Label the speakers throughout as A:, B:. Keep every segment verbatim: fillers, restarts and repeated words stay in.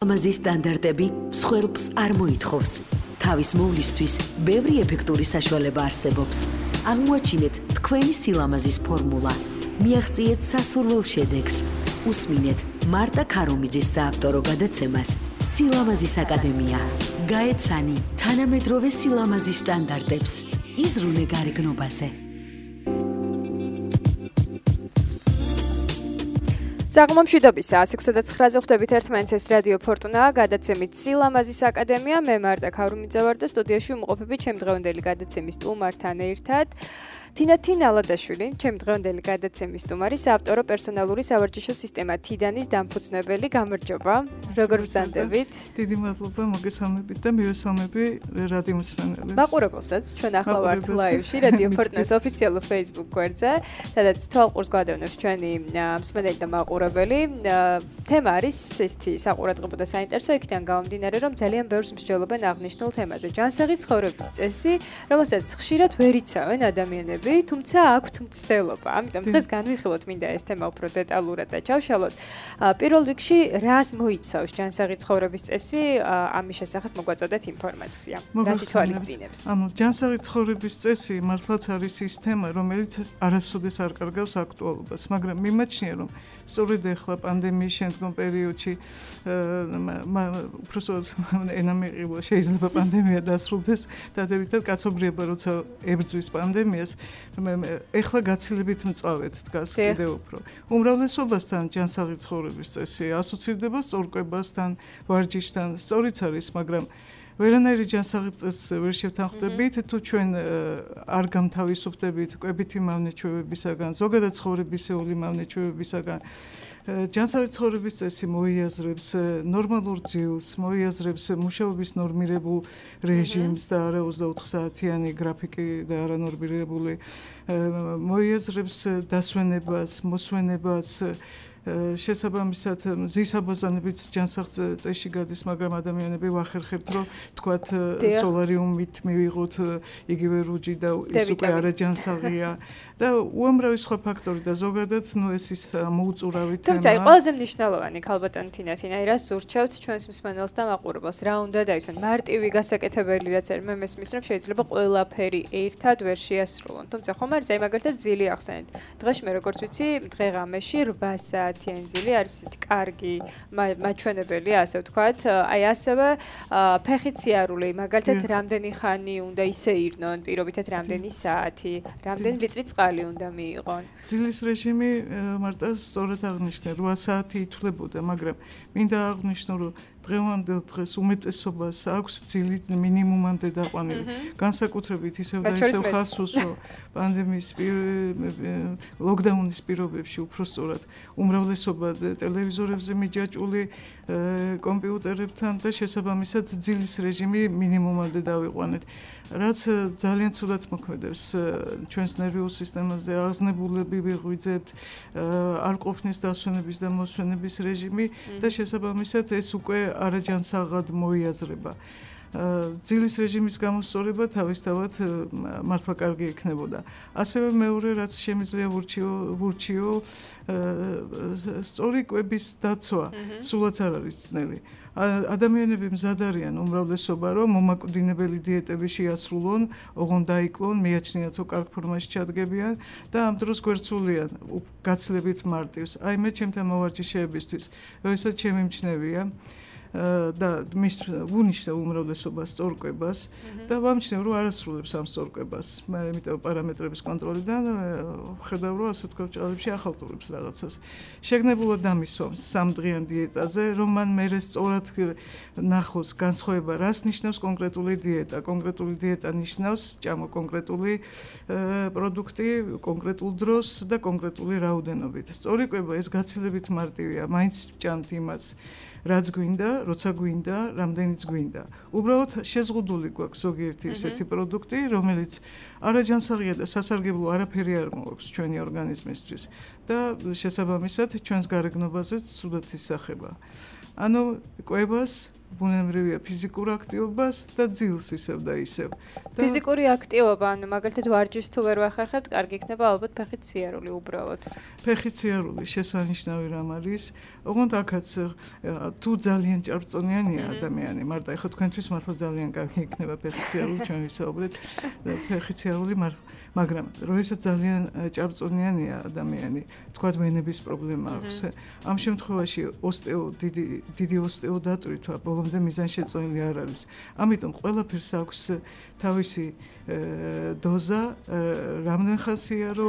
A: ამაზის სტანდარტები მსხვერპლს არ მოითხოვს. თავის მოვლისთვის ბევრი ეფექტური საშუალება არსებობს. აღმოაჩინეთ თქვენი სილამაზის ფორმულა. მიაღწიეთ სასურველ შედეგს. უსმინეთ მარტა ქარომიძის საავტორო გადაცემას სილამაზის აკადემია. გაეცანი თანამედროვე სილამაზის სტანდარტებს. იზრუნე გარეგნობაზე.
B: საღმომშვიდობისა one oh six და nine-ზე ხვდებით ერთმანეთს ეს რადიო ფორტუნა გადაცემით სილამაზის აკადემია მე მარტა ქარუმიძე ვარ და სტუდიაში ვმყოფები ჩემ დღევანდელი გადაცემის სტუმართან ერთად თინა თინალადაშვილი ჩემ დღევანდელი გადაცემის სტუმარი საავტორო პერსონალური სავარჯიშო სისტემა თიდანის დამფუძნებელი გამარჯობა როგორ ბრძანდებით
C: დიდი მადლობა მოგესალმებით და მივესალმები რადიო მსმენელებს
B: მაყურებელსაც ჩვენ ახლა ვართ ლაივში რადიო ფორტუნას ოფიციალურ Facebook გვერდზე სადაც თვალყურს გვადევნებს ჩვენი მსმენელი და მაყურებელი თემა არის ისეთი საყურადღებო და საინტერესო იქიდან გამომდინარე რომ ძალიან ბევრს მსჯელობენ აღნიშნულ თემაზე ჯანსაღი ცხოვრების წესი რომელსაც ხშირად ვერ იცავენ ადამიანები თუმცა აქვთ მცდელობა. ამიტომ დღეს განვიხილოთ მინდა ეს თემა უფრო დეტალურად და ჩავშალოთ. პირველ რიგში რას მოიცავს ჯანსაღი ცხოვრების წესი? ამის შესახებ მოგვაწოდეთ ინფორმაცია. რას ითვალისწინებს?
C: ანუ ჯანსაღი ცხოვრების წესი მართლაც არის ის თემა, რომელიც არასოდეს არ კარგავს აქტუალობას, მაგრამ მიმაჩნია რომ სწორედ ახლა პანდემიის შემდგომ პერიოდში უბრალოდ ენა მიყივა შეიძლება პანდემია დასრულდეს დადებითად კაცობრიობა როცა ებრძვის პანდემიას ეხლა გაცილებით მწვავედ დგას კიდევ უფრო. უმრავლესობასთან ჯანსაღი ცხოვრების წესი ასოცირდება სწორკვებასთან, ვარჯიშთან, სწორიც არის, მაგრამ ვერანაირი ჯანსაღი წესს ვერ შევთანხმდებით, თუ ჩვენ არ გამთავისუფლდებით კვებითი მავნეჩვევებისაგან, ზოგადად ცხოვრებისეული მავნეჩვევებისაგან, ჯანსაღი ცხოვრების წესი მოიაზრებს ნორმალურ ძილს, მოიაზრებს მუშაობის ნორმირებულ რეჟიმს და არა ოცდაოთხ საათიანი გრაფიკი და არა ნორმირებული, მოიაზრებს დასვენებას, მოსვენებას, შესაბამისად მზის აბაზანებიც ჯანსაღ წესში გადის, მაგრამ ადამიანები ვახერხებთ, რომ თქვათ სოლარიუმით მივიღოთ იგივე რუჯი და ის უკვე არა ჯანსაღია და უამრავი სხვა ფაქტორი და ზოგადად ნუ ეს ის მოუწურავი თემა.
B: თუმცა ყველაზე მნიშვნელოვანი ქალბატონი თინა თინა რას ურჩევთ ჩვენს მსმენელს და მაყურებელს რა უნდა დაისვენ მარტივი გასაკეთებელი რაც არის მე მესმის რომ შეიძლება ყველაფერი ერთად ვერ შეასრულონ. თუმცა ხომ არის აი მაგალითად ძილი ახსენეთ. დღეში მე როგორც ვიცი დღე-ღამეში რვა საათიანი ძილი არის ისეთი კარგი მაჩვენებელი ასე ვთქვათ. აი ასევე ფეხით სიარული მაგალითად რამდენი ხანი უნდა ისე ირნონ პირობითად რამდენი საათი, რამდენი ლიტრი წყალი უნდა მიიღონ.
C: ძილის რეჟიმი მარტო სწორად აღნიშნე რვა საათი ითვლებოდა, მაგრამ მინდა აღნიშნო რომ დღევანდელ დღეს უმეტესობას აქვს ძილი მინიმუმამდე დაყვანილი. განსაკუთრებით ისევ და ისევ ხას უსვო პანდემიის ლოკდაუნის პირობებში უფრო სწორად უმრავლესობა ტელევიზორებზე მიჯაჭვული კომპიუტერებთან და შესაბამისად ძილის რეჟიმი მინიმუმამდე დავიყვანეთ. რაც ძალიან ცუდად მოქმედებს ჩვენს ნერვიულ სისტემაზე, აღზნებულები ვიღვიძებთ, არ ყოფნის დასვენების და მოსვენების რეჟიმი და შესაბამისად ეს უკვე არაჯანსაღად მოიაზრება. ძილის რეჟიმის გამოსწორება თავისთავად მართლა კარგი იქნებოდა. ასევე მეორე რაც შემიძლია ვურჩიო სწორი კვების დაცვა სულაც არ არის ძნელი. ადამიანები მზად არიან უმრავლესობა რომ მომაკვდინებელი დიეტები შეასრულონ, ოღონდ დაიკლონ, მიაჩნიათო კარგ ფორმაში ჩადგებიან და ამ დროს გვერდსულიან გაცილებით მარტივს. აი მე ჩემთან მოვარჯიშეებისთვის, როდესაც ჩემი მჩნევია და მის უნიშნავ უმრავლესობას სწორკვებას და ვამჩნევ რომ არასრულებს ამ სწორკვებას. მე იმიტომ პარამეტრების კონტროლიდან ხედავ რომ ასე ვთქვათ ჭალებში ახალტურებს რაღაცას. შეგნებულად დამისვამს სამდღიან დიეტაზე, რომ მან მერე სწორად ნახოს განსხვავება, რას ნიშნავს კონკრეტული დიეტა. კონკრეტული დიეტა ნიშნავს ჭამო კონკრეტული პროდუქტი, კონკრეტულ დროს და კონკრეტული რაოდენობით. სწორი კვება ეს გაცილებით მარტივია, მაინც ჭამთ იმას რაც გვინდა, როცა გვინდა, რამდენიც გვინდა. უბრალოდ შეზღუდული გვაქვს ზოგიერთი ისეთი პროდუქტი, რომელიც არაჯანსაღია და სასარგებლო არაფერი არ მოაქვს ჩვენი ორგანიზმისთვის და შესაბამისად ჩვენს გარეგნობაზეც ცუდად ისახება. ანუ კვებას ბუნებრივია ფიზიკურ აქტივობას და ძილს ისევ და ისევ.
B: ფიზიკური აქტივობა, ანუ მაგალითად ვარჯიშს თუ ვერ ვახერხებთ, კარგი იქნება ალბათ ფეხით სიარული უბრალოდ.
C: ფეხით სიარული შესანიშნავი რამ არის. ოღონდ აქაც თუ ძალიან ჭარბწონიანია ადამიანი, მარტო ეხლა თქვენთვის მართლა ძალიან კარგი იქნება ფეხით სიარული, ჩვენ ვისაუბრეთ ფეხით სიარული, მაგრამ როდესაც ძალიან ჭარბწონიანია ადამიანი, თქვათ ვენების პრობლემა აქვს. ამ შემთხვევაში ოსტეო დიდი დიდი ოსტეოდატვრით ბოლომდე მიზანშეწონილი არ არის. ამიტომ ყველაფერს აქვს თავისი დოზა, რამდენ ხანს იარო,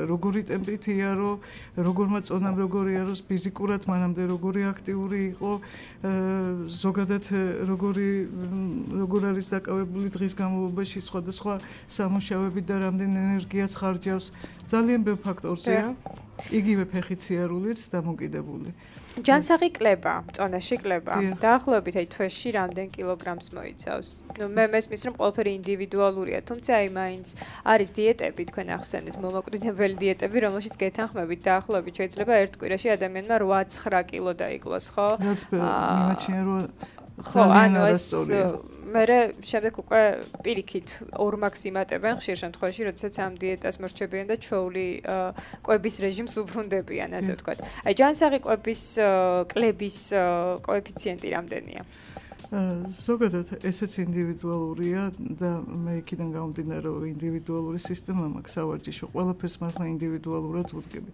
C: როგორი ტემპით იარო, როგორმა წონამ როგორი იაროს, ფიზიკურად მანამდე როგორი აქტიური იყო, ზოგადად როგორი როგორ არის დაკავებული დღის განმავლობაში სხვადასხვა სამუშაოებით და რამდენ ენერგიას ხარჯავს. ძალიან ბევრ ფაქტორზეა. იგივე ფეხით სიარულიც დამოკიდებული.
B: ჯანსაღი კლება, წონაში კლება. დაახლოებით აი თვეში რამდენ კილოგრამს მოიცავს? ნუ მე მესმის რომ ყველაფერი ინდივიდუალურია, თუმცა აი მაინც არის დიეტები, თქვენ ახსენეთ, მომაკვდინებელი დიეტები, რომელშიც გეთანხმებით დაახლოებით შეიძლება ერთ კვირაში ადამიანმა რვა ცხრა კილო დაიკლოს, ხო?
C: რაც მიმაჩნია რომ
B: ხო, ანუ ეს მერე შემდეგ უკვე პირიქით ორმაქს იმატებენ ხშირ შემთხვევაში, როდესაც ამ დიეტას მორჩებიან და ჩვეული კვების რეჟიმს უბრუნდებიან, ასე ვთქვათ. აი ჯანსაღი კვების კლების კოეფიციენტი რამდენია?
C: ზოგადად ესეც ინდივიდუალურია და მე იქიდან გამომდინარე რომ ინდივიდუალური სისტემა მაქვს სავარჯიშო, ყველაფერს მართლა ინდივიდუალურად ვუდგები.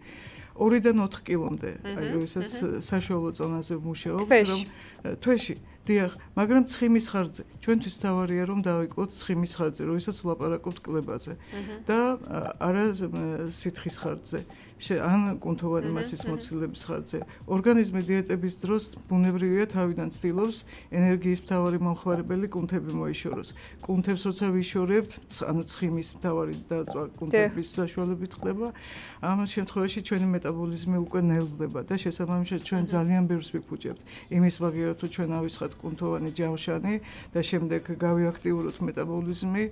C: ორიდან ოთხ კილომდე, აი როდესაც საშუალო წონაზე ვმუშაობ, რომ თვეში დიახ, მაგრამ ცხიმის ხარჯზე. ჩვენთვის თავარია რომ დავიკლოთ ცხიმის ხარჯზე, როდესაც ვლაპარაკობთ კლებაზე და არა სითხის ხარჯზე. ან კუნთოვანი მასის მოცილების ხარჯზე. ორგანიზმი დიეტების დროს ბუნებრივია თავიდან ცდილობს ენერგიის მთავარი მომხმარებელი კუნთები მოიშოროს. კუნთებს როცა ვიშორებთ, ანუ ცხიმის მთავარი დაწვა კუნთების საშუალებით ხდება, ამ შემთხვევაში ჩვენი მეტაბოლიზმი უკვე ნელდება და შესაბამისად ჩვენ ძალიან ბევრს ვიფუჭებთ. იმის მაგერად თუ ჩვენ ავისხათ კუნთოვანი ჯავშანი და შემდეგ გავიაქტიუროთ მეტაბოლიზმი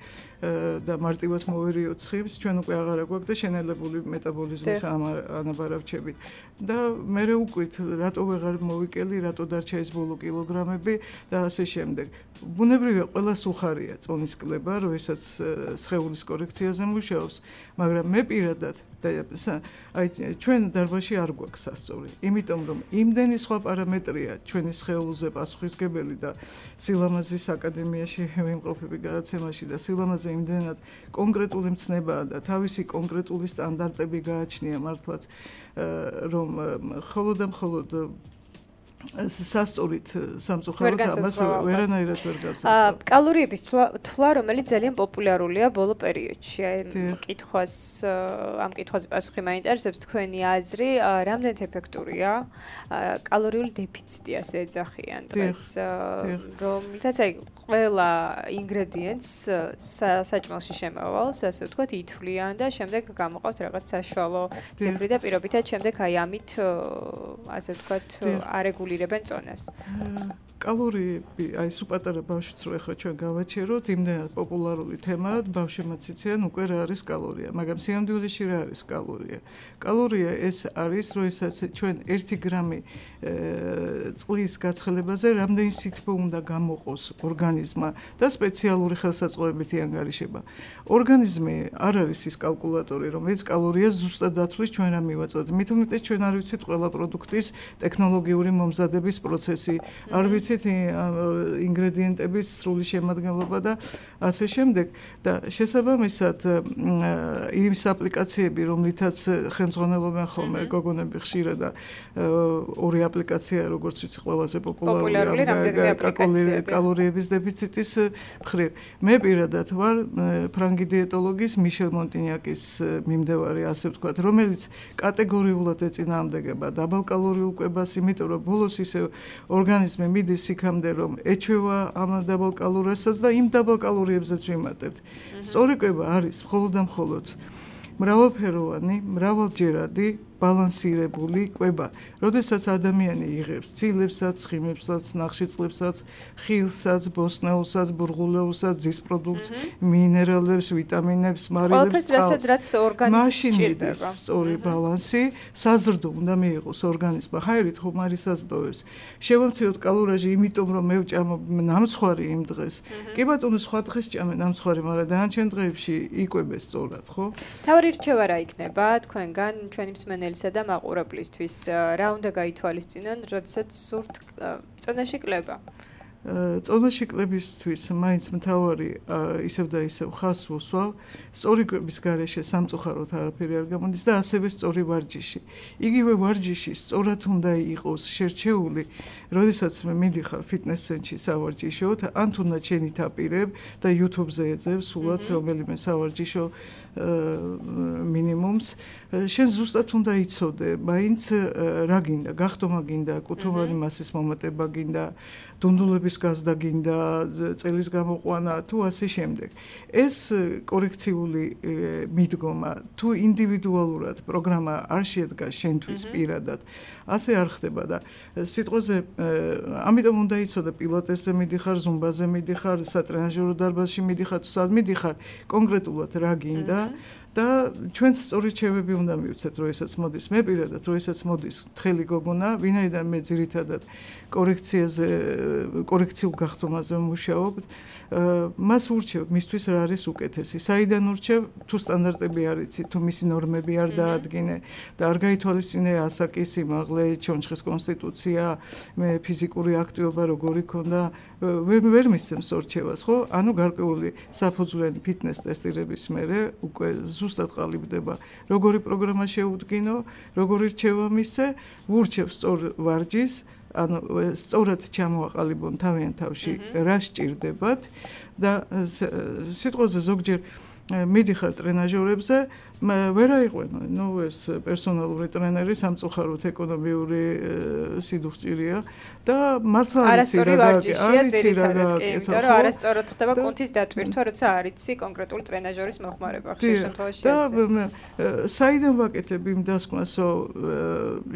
C: და მარტივად მოვერიოთ ცხიმს, ჩვენ უკვე აღარ აგვაქვს და შენელებული მეტაბოლიზმის ანაბარავჩებით. და მე ვუკვირთ, რატო ვეღარ მოვიკელი, რატო დარჩა ეს ბოლო კილოგრამები და ასე შემდეგ. ბუნებრივია ყველას უხარია წონის კლება, როდესაც სხეულის კორექციაზე მუშაობს, მაგრამ მე პირადად და აი ჩვენ დარბაზში არ გვაქვს სასწორი. იმიტომ რომ იმდენი სხვა პარამეტრია ჩვენი სხეულზე პასუხისგებელი და სილამაზის აკადემიაში ვიმყოფები გადაცემაში და სილამაზე იმდენად კონკრეტული მცნებაა და თავისი კონკრეტული სტანდარტები გააჩნია მართლაც რომ მხოლოდ და მხოლოდ სასწორით სამწუხაროდ ამას ვერანაირად ვერ გასასწორებ.
B: კალორიების თვლა, რომელიც ძალიან პოპულარულია ბოლო პერიოდში. აი კითხვას ამ კითხვაზე პასუხი მაინტერესებს თქვენი აზრი, რამდენად ეფექტურია კალორიული დეფიციტი ასე ეძახიან დღეს, რომლითაც აი ყველა ინგრედიენტს საჭმელში შემავალს, ასე ვთქვათ, ითვლიან და შემდეგ გამოყავთ რაღაც საშუალო ციფრი და პირობითად შემდეგ აი ამით ასე ვთქვათ არეგულირებენ წონას.
C: კალორიები, აი სუპატარა ბავშვიც რო ახლა ჩვენ გავაჩეროთ, იმდენად პოპულარული თემაა, ბავშვებმაც იციან უკვე რა არის კალორია, მაგრამ სიამდვილეში რა არის კალორია? კალორია ეს არის, როდესაც ჩვენ ერთი გრამი წყლის გაცხელებაზე რამდენი სითბო უნდა გამოყოს ორგანიზმმა და სპეციალური ხელსაწყოებითი ანგარიშება. ორგანიზმი არ არის ის კალკულატორი, რომელიც კალორიას ზუსტად დათვლის ჩვენ რა მივაწოდეთ. მით უმეტეს ჩვენ არ ვიცით ყველა პროდუქტის ტექნოლოგიური მომზადების პროცესი, არ ვიცით ინგრედიენტების სრული შემადგენლობა და ასე შემდეგ და შესაბამისად ის აპლიკაციები, რომლითაც ხელმძღვანელობენ ხოლმე გოგონები ხშირად და ორი აპლიკაცია, როგორც ვიცი, ყველაზე პოპულარულია კალორიების დეფიციტის მხრივ. მე პირადად ვარ ფრანგი დიეტოლოგის მიშელ მონტინიაკის მიმდევარი, ასე ვთქვათ, რომელიც კატეგორიულად ეწინააღმდეგება დაბალკალორიულ კვებას, იმიტომ რომ ბოლოს ისე ორგანიზმი მიდის იქამდე რომ ეჩვევა ამ დაბალკალორიასაც და იმ დაბალკალორიებზეც ვიმატებთ. სწორი კვება არის მხოლოდ და მხოლოდ მრავალფეროვანი, მრავალჯერადი ბალანსირებული კვება. როდესაც ადამიანი იღებს ცილებსაც, ცხიმებსაც, ნახშირწყლებსაც, ხილსაც, ბოსტნეულსაც, ბურღულეულსაც, ძის პროდუქტს, მინერალებს, ვიტამინებს, მარილებს,
B: წყალს. რაც ორგანიზმს ჭირდება.
C: სწორი ბალანსი საზრდო უნდა მიიღოს ორგანიზმმა. ხაერით ხომ არის საზრდოებს. შევამციროთ კალორიაჟი, იმიტომ რომ მე ვჭამობ ნამცხვარი იმ დღეს. კი ბატონო, სხვა დღეს ჭამე ნამცხვარი, მაგრამ დანარჩენ დღეებში იკვებეს სწორად, ხო?
B: თავი რჩევა რა იქნება თქვენგან, ჩვენი მსმენელისა და მაყურებლისთვის, რა უნდა გაითვალისწინონ, როდესაც სურთ წონაში კლება?
C: წონაში კლებისთვის მაინც მთავარი ისევ და ისევ ხას ვუსვავ, სწორი კვების გარეშე სამწუხაროდ არაფერი არ გამოდის და ასევე სწორი ვარჯიში. იგივე ვარჯიში სწორად უნდა იყოს შერჩეული, როდესაც მე მიდიხარ ფიტნეს ცენტრში სავარჯიშოდ, ან თუნდაც შენი თაპირებ და YouTube-ზე ეძებ სულაც რომელიმე სავარჯიშო მინიმუმს, შენ ზუსტად უნდა იცოდე, მაინც რა გინდა, გახდომა გინდა, კუთხოვანი მასის მომატება გინდა, დუნდულების გაზდა გინდა, წელის გამოყვანა თუ ასე შემდეგ. ეს კორექციული მიდგომა თუ ინდივიდუალურად პროგრამა არ შედგას შენთვის პირადად, ასე არ ხდება და სიტყვაზე ამიტომ უნდა იცოდე პილატესზე მიდიხარ, ზუმბაზე მიდიხარ, სატრენაჟერო დარბაზში მიდიხარ, თუ სად მიდიხარ, კონკრეტულად რა გინდა და ჩვენც სწორი რჩევები უნდა მივცეთ, როდესაც მოდის მე პირადად, როდესაც მოდის თხელი გოგონა, ვინაიდან მე ძირითადად კორექციაზე, კორექციულ გახდომაზე ვმუშაობ, მას ვურჩევ, მისთვის რა არის უკეთესი. საიდან ვურჩევ, თუ სტანდარტები არ იცი, თუ მისი ნორმები არ დაადგინე და არ გაითვალისწინე ასაკი, სიმაღლე, ჩონჩხის კონსტიტუცია, მე ფიზიკური აქტივობა როგორი ქონდა, ვერ ვერ მისცემს ორჩევას, ხო? ანუ გარკვეული საფუძვლიანი ფიტნეს ტესტირების მერე უკვე ზუსტად ყალიბდება, როგორი პროგრამა შეუდგინო, როგორი რჩევა მისცე, ვურჩევ სწორ ვარჯიშს, ანუ სწორად ჩამოაყალიბონ თავიანთ თავში რა სჭირდებათ და სიტყვაზე ზოგჯერ მიდიხარ ტრენაჟორებზე, ვერ აიყვენო, ნუ ეს პერსონალური ტრენერი სამწუხაროდ ეკონომიური სიდუხჭირია და მართლა
B: არასწორი ვარჯიშია ძირითადად, კი, იმიტომ რომ არასწორად ხდება კუნთის დატვირთვა, როცა არ იცი კონკრეტული ტრენაჟორის მოხმარება ხშირ შემთხვევაში
C: და საიდან ვაკეთებ იმ დასკვნასო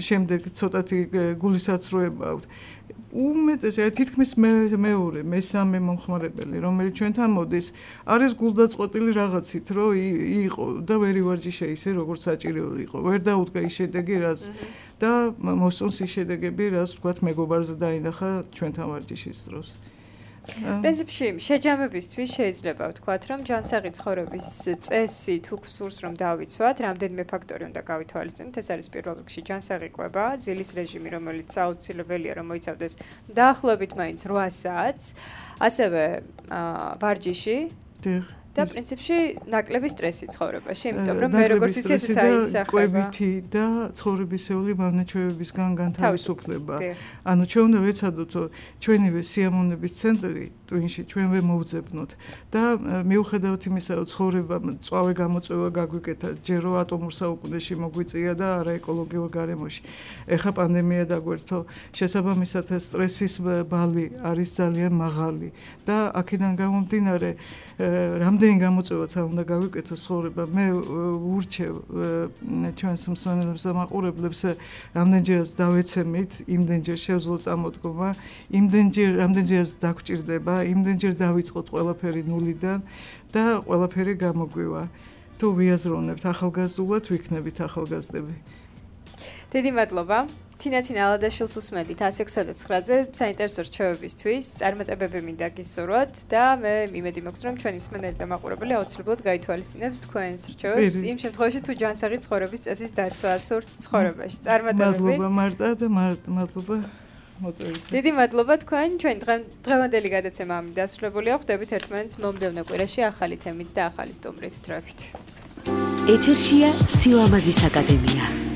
C: შემდეგ ცოტათი გულისაცრუება აქვს. უმეტეს თითქმის მეორე, მესამე მომხმარებელი, რომელიც ჩვენთან მოდის, არის გულდაწყვეტილი რაღაცით, რომ იყო და ვერ ივარჯიშე ისე, როგორც საჭირო იყო. ვერ დაუდგა ის შედეგი, რაც და მოსწონს ის შედეგები, რაც ვთქვათ, მეგობარზე დაინახა ჩვენთან ვარჯიშის დროს.
B: პრინციპში შეჯამებისთვის შეიძლება ვთქვათ, რომ ჯანსაღი ცხოვრების წესი თუ გსურს რომ დავიცვათ, რამდენიმე ფაქტორი უნდა გავითვალისწინოთ. ეს არის პირველ რიგში ჯანსაღი კვება, ძილის რეჟიმი, რომელიც აუცილებელია რომ მოიცავდეს დაახლოებით მაინც რვა საათს, ასევე ვარჯიში და პრინციპში ნაკლები სტრესი ცხოვრებაში, იმიტომ რომ მე როგორც ვიცი, ეს აისახება.
C: კვებითი და ცხოვრებისეული მავნეჩვევებისგან განთავისუფლება. ანუ ჩვენ უნდა ვეცადოთ ჩვენივე სიამოვნების ცენტრი ტვინში ჩვენ ვემოვძებნოთ და მიუხედავად იმისა, რომ ცხოვრება წვავე გამოწვევა გაგვიკეთა, ჯერო ატომურ საუკუნეში მოგვიწია და არა ეკოლოგიურ გარემოში. ეხა პანდემია დაგვერთო, შესაბამისად სტრესის ბალი არის ძალიან მაღალი და აქედან გამომდინარე რამდენი გამოწვევაც არ უნდა გავიკეთოს ცხოვრება, მე ვურჩევ ჩვენს მსმენელებს და მაყურებლებს რამდენჯერაც დავეცემით, იმდენჯერ შევძლოთ წამოდგომა, იმდენჯერ რამდენჯერაც დაგვჭირდება, იმდენჯერ დავიწყოთ ყველაფერი ნულიდან და ყველაფერი გამოგვივა. თუ ვიაზროვნებთ ახალგაზრდულად, ვიქნებით ახალგაზრდები.
B: დიდი მადლობა. თინათინ ალადაშვილს უსმენთ ათას ექვსმოცდაცხრაზე საინტერესო რჩევებისთვის, წარმატებები მინდა გისურვოთ და მე იმედი მაქვს, რომ ჩვენი მსმენელი და მაყურებელი აუცილებლად გაითვალისწინებს თქვენს რჩევებს იმ შემთხვევაში, თუ ჯანსაღი ცხოვრების წესის დაცვა სურთ ცხოვრებაში. წარმატებები.
C: მადლობა მარტა და მადლობა მოწვევით.
B: დიდი მადლობა თქვენ, ჩვენ დღევანდელი გადაცემა ამით დასრულებულია. ხვდებით ერთმანეთს მომდევნო კვირაში ახალი თემით და ახალი სტუმრით. დროებით.
A: ეთერშია სილამაზის აკადემია.